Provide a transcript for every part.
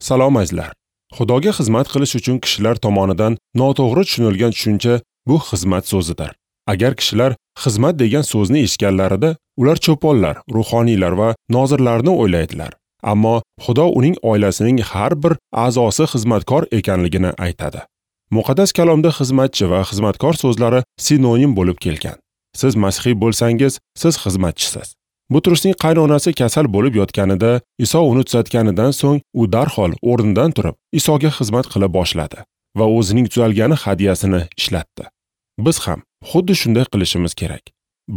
Salom azizlar. Xudoga xizmat qilish uchun kishilar tomonidan noto'g'ri tushunilgan tushuncha bu xizmat so'zidir. Agar kishilar xizmat degan so'zni eshitganlarida, ular cho'ponlar, ruhoniylar va nozirlarni o'ylaydilar. Ammo Xudo uning oilasining har bir a'zosi xizmatkor ekanligini aytadi. Muqaddas kalomda xizmatchi va xizmatkor so'zlari sinonim bo'lib kelgan. Siz masihiy bo'lsangiz, siz xizmatchisiz. Butrusning qaynonasi kasal bo'lib yotganida, Iso uni tuzatganidan so'ng u darhol o'rnidan turib, Isoga xizmat qila boshladi va o'zining tuzalgani hadiyasini ishlatdi. Biz ham xuddi shunday qilishimiz kerak.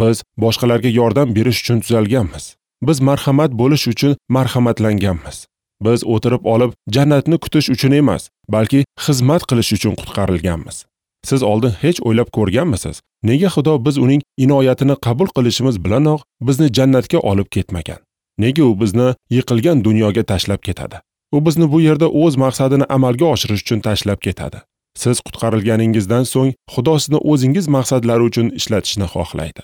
Biz boshqalarga yordam berish uchun tuzalganmiz. Biz marhamat bo'lish uchun marhamatlanganmiz. Biz o'tirib olib jannatni kutish uchun emas, balki xizmat qilish uchun qutqarilganmiz. Siz oldin hech o'ylab ko'rganmisiz? Nega Xudo biz uning inoyatini qabul qilishimiz bilanoq bizni jannatga olib ketmagan? Nega u bizni yiqilgan dunyoga tashlab ketadi? U bizni bu yerda o'z maqsadini amalga oshirish uchun tashlab ketadi. Siz qutqarilganingizdan so'ng Xudo sizni o'zingiz maqsadlari uchun ishlatishni xohlaydi.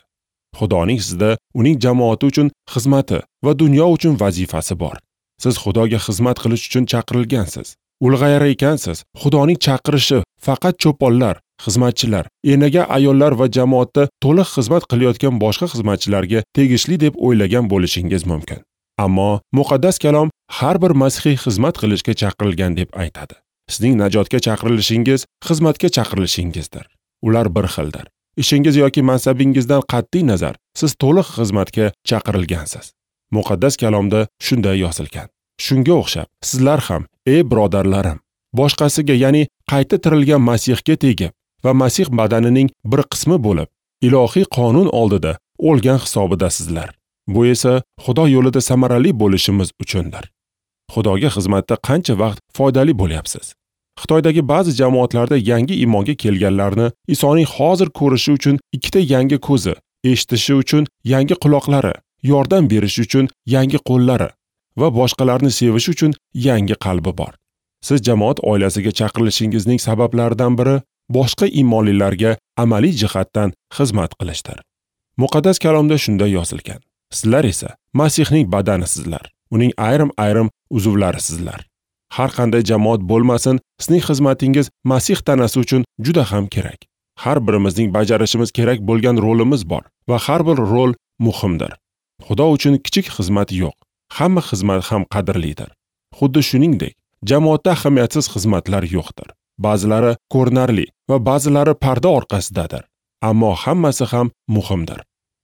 Xudoning sizda uning jamoati uchun xizmati va dunyo uchun vazifasi bor. Siz Xudoga xizmat qilish uchun chaqirilgansiz. Ulg'ayar ekansiz, Xudoning chaqirishi faqat cho'ponlar, xizmatchilar, enaga ayollar va jamoatda to'liq xizmat qilayotgan boshqa xizmatchilarga tegishli deb o'ylagan bo'lishingiz mumkin. Ammo muqaddas kalom har bir masihiy xizmat qilishga chaqirilgan deb aytadi. Sizning najotga chaqirilishingiz xizmatga chaqirilishingizdir. Ular bir xildir. Ishingiz yoki mansabingizdan qat'iy nazar, siz to'liq xizmatga chaqirilgansiz. Muqaddas kalomda shunday yozilgan. Shunga o'xshab, sizlar ham, ey birodarlarim, boshqasiga, ya'ni qayta tirilgan Masihga tegib va Masih badanining bir qismi bo'lib, ilohiy qonun oldida o'lgan hisobidasizlar. Bu esa Xudo yo'lida samarali bo'lishimiz uchundir. Xudoga xizmatda qancha vaqt foydali bo'lyapsiz? Xitoydagi ba'zi jamoatlarda yangi iymonga kelganlarni Isoning hozir ko'rishi uchun ikkita yangi ko'zi, eshitishi uchun yangi quloqlari, yordam berish uchun yangi qo'llari va boshqalarni sevish uchun yangi qalbi bor. Siz jamoat oilasiga chaqirilishingizning sabablaridan biri boshqa iymonlilarga amaliy jihatdan xizmat qilishdir. Muqaddas kalomda shunday yozilgan: Sizlar esa Masihning badanisizlar, uning ayrim-ayrim uzvlarisizlar. Har qanday jamoat bo'lmasin, sizning xizmatingiz Masih tanasi uchun juda ham kerak. Har birimizning bajarishimiz kerak bo'lgan rolimiz bor va har bir rol muhimdir. Xudo uchun kichik xizmat yo'q. Hamma xizmat ham qadrlidir. Xuddi shuningdek, jamoatda ahamiyatsiz xizmatlar yo'qdir. Ba'zilari ko'rinarli va ba'zilari parda orqasidadir. Ammo hammasi ham muhimdir.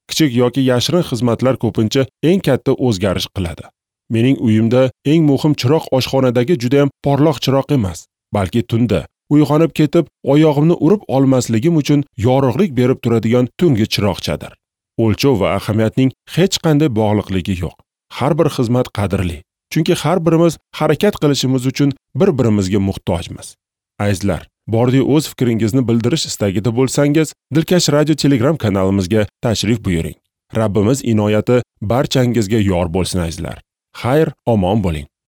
Kichik yoki yashirin xizmatlar ko'pincha eng katta o'zgarish qiladi. Mening uyimda eng muhim chiroq oshxonadagi juda ham porloq chiroq emas, balki tunda uyg'onib ketib, oyog'imni urib olmasligim uchun yorug'lik berib turadigan tungi chiroqchadir. O'lchov va ahamiyatning hech qanday bog'liqligi yo'q. Har bir xizmat qadrli, chunki har birimiz harakat qilishimiz uchun bir-birimizga muhtojmiz. Azizlar, bordi o'z fikringizni bildirish istagida bo'lsangiz, Dilkash Radio Telegram kanalimizga tashrif buyuring. Rabbimiz inoyati barchangizga yor bo'lsin azizlar. Xayr, omon bo'ling.